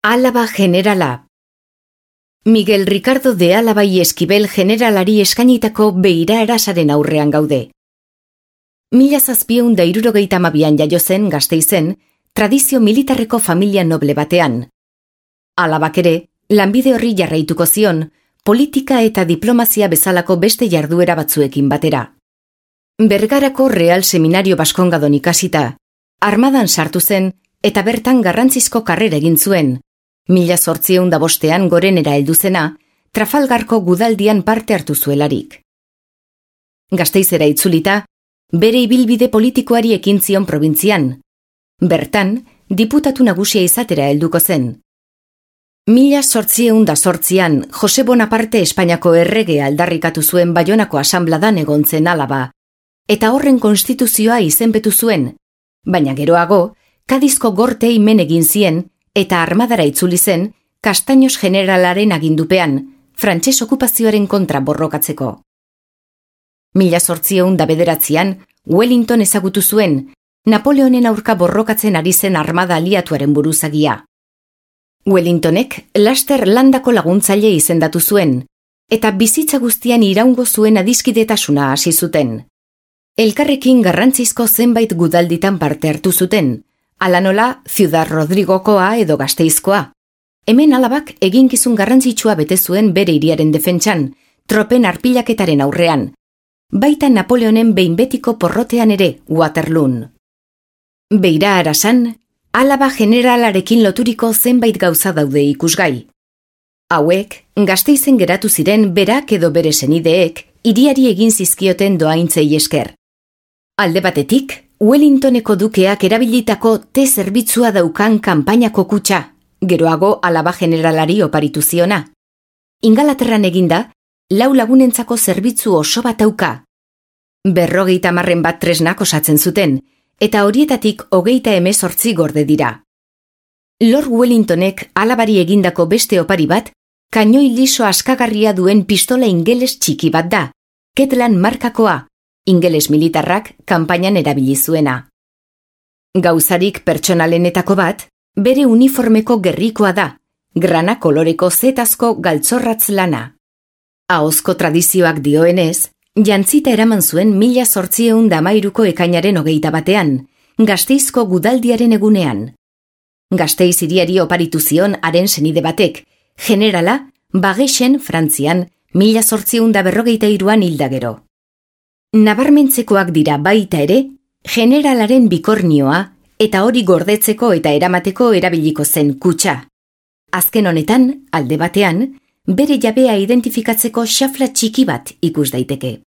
Álava generala. Miguel Ricardo de Álava y Esquivel generalari eskainitako beira erasaren aurrean gaude. 1762an jaio zen Gasteizen, tradizio militarreko familia noble batean. Álavak ere, lanbide horri jarraituko zion, politika eta diplomazia bezalako beste jarduera batzuekin batera. Bergarako Real Seminario Baskongadon ikasita, armadan sartu zen eta bertan garrantzizko karrera egin zuen, 1805 gorenera heldu zena, Trafalgarko gudaldian parte hartu zuelarik. Gasteizera itzulita, bere ibilbide politikoari ekin zion probintzian. Bertan, diputatu nagusia izatera helduko zen. 1808an Jose Bonaparte Espainiako errege aldarrikatu zuen Baionako asanbladan egon zen Álava, eta horren konstituzioa izenpetu zuen, baina geroago, Kadizko gortei men egin zien eta armadara itzuli zen Castaños generalaren agindupean, frantses okupazioaren kontra borrokatzeko. 1809an Wellington ezagutu zuen, Napoleonen aurka borrokatzen ari zen armada aliatuaren buruzagia. Wellingtonek laster landako laguntzaile izendatu zuen, eta bizitza guztian iraungo zuen adiskidetasuna hasi zuten. Elkarrekin garrantzizko zenbait gudalditan parte hartu zuten, hala nola Ciudad Rodrigokoa edo Gasteizkoa. Hemen Álavak eginkizun garrantzitsua bete zuen bere hiriaren defentsan, tropen arpilaketaren aurrean, baita Napoleonen behin betiko porrotean ere Waterloon. Beira arasan, Álava generalarekin loturiko zenbait gauza daude ikusgai. Hauek, Gasteizen geratu ziren berak edo bere senideek hiriari egin zizkioten doaintzei esker. Alde batetik, Wellingtoneko dukeak erabilitako zerbitzua daukan kanpainako kutxa, geroago Álava generalari oparitu ziona. Ingalaterran eginda, 4 lagunentzako zerbitzu oso bat dauka. 50 bat tresnak osatzen zuten, eta horietatik 38 gorde dira. Lord Wellingtonek Álavari egindako beste opari bat, kainoi liso askagarria duen pistola ingeles txiki bat da, Ketlan markakoa, ingeles militarrak kanpainan erabili zuena. Gauzarik pertsonalenetako bat, bere uniformeko gerrikoa da, grana koloreko zetazko galtzorratz lana. Ahozko tradizioak dioenez, jantzita eraman zuen 1813ko ekainaren 21ean, Gasteizko gudaldiaren egunean. Gasteiz hiriari oparitu zion haren senide batek, generala Bagesen Frantzian 1843an hilda gero. Nabarmentzekoak dira baita ere, generalaren bikornioa eta hori gordetzeko eta eramateko erabiliko zen kutxa. Azken honetan, alde batean, bere jabea identifikatzeko xafla txiki bat ikus daiteke.